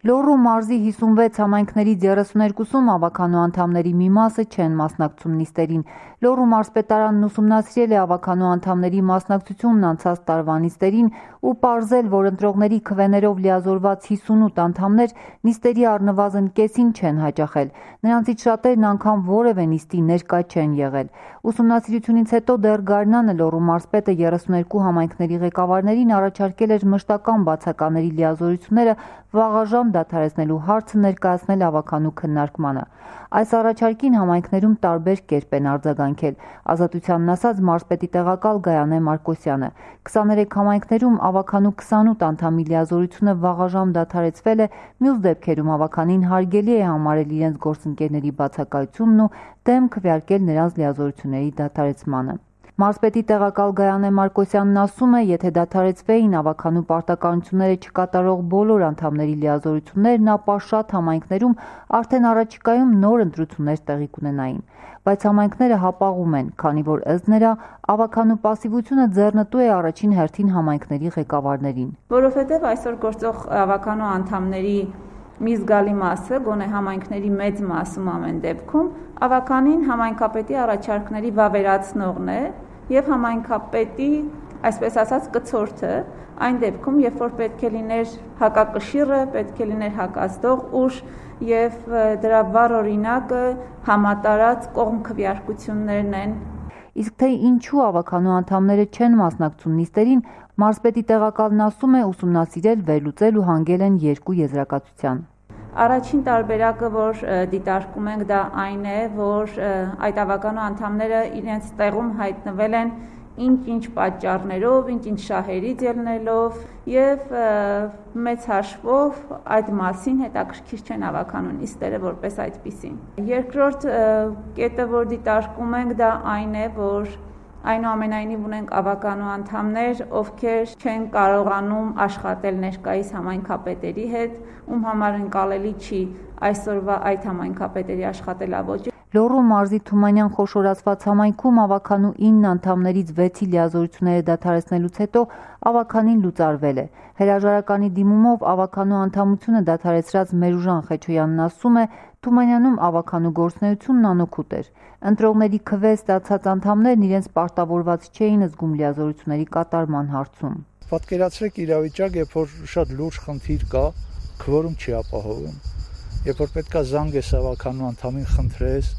Լոռու մարզի 56 համայնքներից 32-ում ավականու անդամների մի մասը չեն մասնակցում նիստերին։ Լոռու մարզպետարանն ուսումնասիրել է ավականու անդամների մասնակցությունն անցած տարվա նիստերին ու պարզել, որ ընտրողների քվեներով լիազորված 58 անդամներ նիստերի առնվազն կեսին չեն հաճախել։ Նրանցից շատերն անգամ որևէ նիստի ներկա չեն եղել։ Ուսումնասիրությունից հետո դեռ գարնանը Լոռու մարզպետը 32 համայնքների ղեկավարներին առաջարկել էր մշտական բացակաների լիազորությունները վաղաժամ դադարեցնելու հարցը ներկայացնել ավականու քննարկմանը։ Այս առաջարկին համայնքներում տարբեր կերպ են արձագանքել։ Ազատությանն ասած մարզպետի տեղակալ Գայանե Մարկոսյանը 23 համայնքներում ավականու 28 անդամի լիազորությունը վաղաժամ դադարեցվել է, մյուս դեպքերում ավականին հարգելի է համարել իրենց գործընկերների բացակայությունն ու դեմ քվեարկել նրանց լիազորությունների դադարեցմանը։ Մարզպետի տեղակալ Գայանե Մարկոսյանն ասում է, եթե դադարեցվեին ավականու պարտականությունները չկատարող բոլոր անդամների լիազորություններն, ապա շատ համայնքներում արդեն առաջիկայում նոր ընտրություններ տեղի կունենային։ Բայց համայնքները հապաղում են, քանի որ ըստ նրա ավականու պասիվությունը ձեռնտու է առաջին հերթին համայնքների ղեկավարներին։ Որովհետև այսօր գործող ավականու անդամների մի զգալի մասը, գոնե համայնքների մեծ մասում ամեն դեպքում, ավականին համայնքապետի առաջարկների վավերացնողն է եւ համայնքապետի, այսպես ասած, կցորդը, այն դեպքում, երբ որ պետք է լիներ հակակշիռը, պետք է լիներ հակազդող ուժ եւ դրա վառ օրինակը համատարած կողմ քվեարկություններն են։ Իսկ թե ինչու ավականու անդամները չեն մասնակցում նիստերին, մարզպետի տեղակալն ասում է, ուսումնասիրել, վերլուծել ու հանգել են երկու եզրակացության։ Առաջին տարբերակը, որ դիտարկում ենք, դա այն է, որ այդ ավականու անդամները իրենց տեղում հայտնվել են ինչ-ինչ պատճառներով, ինչ-ինչ շահերից ելնելով եւ մեծ հաշվով այդ մասին հետաքրքիր չեն ավականու նիստերը որպես այդպիսին։ Երկրորդ կետը, որ դիտարկում ենք, դա այն է, որ այնուամենայնիվ ունենք ավականու անդամներ, ովքեր չեն կարողանում աշխատել ներկայիս համայնքապետերի հետ, ում համար ընկալելի չի այսօրվա այդ համայնքապետերի աշխատելավոճը։ Լոռու մարզի Թումանյան խոշորացված համայնքում ավականու 9 անդամներից 6-ի լիազորությունները դադարեցնելուց հետո ավականին լուծարվել է։ Հրաժարականի դիմումով ավականու անդամությունը դադարեցրած Մերուժան Խեչոյանն ասում է, Թումանյանում ավականու գործունեությունն անօգուտ էր։ Ընտրողների քվե ստացած անդամներն իրենց պարտավորված չէին զգում լիազորությունների կատարման հարցում։ Պատկերացրեք իրավիճակ, երբ որ շատ լուրջ խնդիր կա, քվորում չի ապահովում։ Երբ որ պետքա զանգես ավականու անդամին խնդրես,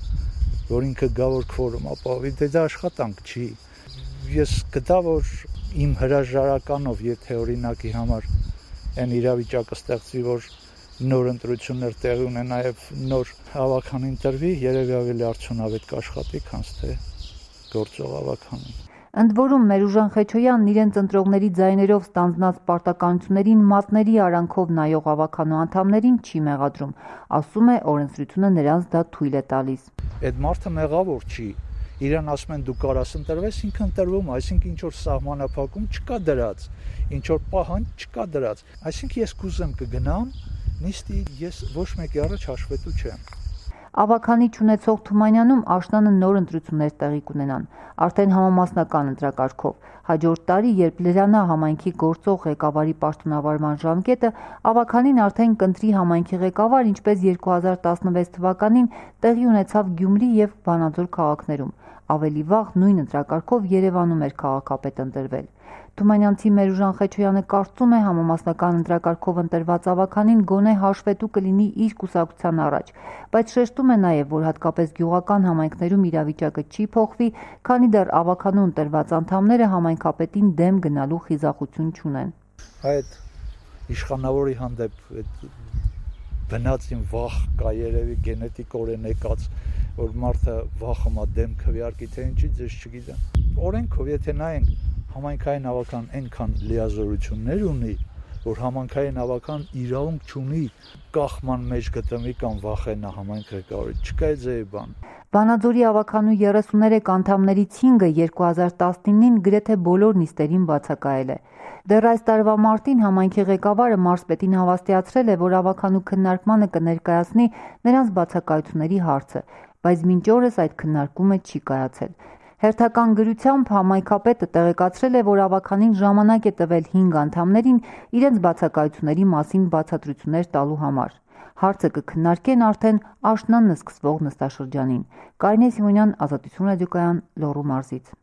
որ ինքը գա որ քվորում ապահովի, դա աշխատանք չի։ Ես գտա, որ իմ հրաժարականով, եթե օրինակի համար այն իրավիճակը ստեղծվի, որ նոր ընտրություններ տեղի ունեն, նաև նոր ավականին տրվի, երևի ավելի արդյունավետ կաշխատի, քան թե գործող ավականին։ Ընդ որում Մերուժան Խեչոյանն իրենց ընտրողների ձայներով ստանձնած պարտականություններին մատների արանքով նայող ավականու անդամներին չի մեղադրում, ասում է օրենսդրությունը նրանց դա թույլ է տալիս։ Այդ մարդը մեղավոր չի, իրան ասում են դու կարաս ընտրվես, ինքը ընտրվում, այսինքն ինչ որ սահմանափակում չկա դրած, ինչ որ պահանջ չկա դրած, այսինքն ես կուզեմ կգնամ նիստի, ես ոչ մեկի առաջ հաշվետու չեմ։ Ավականի չունեցող Թումանյանում աշնանը նոր ընտրություններ տեղի կունենան, արդեն համամասնական ընտրակարգով։ Հաջորդ տարի, երբ Լրանա համայնքի գործող ղեկավարի պաշտոնավարման ժամկետը, Ավականին արդեն կընտրի համայնքի ղեկավար, ինչպես 2016 թվականին տեղի ունեցավ Գյումրի եւ Վանաձոր քաղաքներում։ Ավելի վաղ նույն ընտրակարգով Երևանում էր քաղաքապետ ընտրվել։ Թումանյանցի Մերուժան Խեչոյանը կարծում է համամասնական ընտրակարգով ընտրված ավականին գոնե հաշվետու կլինի իր կուսակցության առաջ, բայց շեշտում է նաև, որ հատկապես գյուղական համայնքներում իրավիճակը չի փոխվի, քանի դեռ ավականու ընտրված անդամները համայնքապետին դեմ գնալու խիզախություն չունեն։ Այդ իշխանավորի հանդեպ բնածին վախ կա երևի գենետիկորեն եկած, որ մարդը վախում է դեմ քվեարկի, թե ինչի ձեզ չգիտեմ։ Օրենքով եթե նայենք համայնքային ավական այնքան լիազորություններ ունի, որ համայնքային ավական իրավունք չունի կախման մեջ գտնվի կամ վախենա համայնք ղեկավարի, չկա ձեի բան։ Վանաձորի ավականու 33 անդամներից 5-ը 2019-ին գրեթե բոլոր նիստերին բացակայել է։ Դեռ այս տարվա մարտին համայնքի ղեկավարը մարզպետին հավաստիացրել է, որ ավականու քննարկմանը կներկայացնի նրանց բացակայությունների հարցը, բայց մինչ օրս այդ քննարկումը չի կայացել։ Հերթական գրությամբ համայնքապետը տեղեկացրել է, որ ավականին ժամանակ է տվել 5 անդամներին իրենց բացակայությունների մասին բացատրություններ տալու համար։ Հարցը կքննարկեն արդեն աշնանը սկսվող նստաշրջանին։ Կարինե Սիմոնյան, Ազատություն ռադիոկայան, Լոռու մարզից։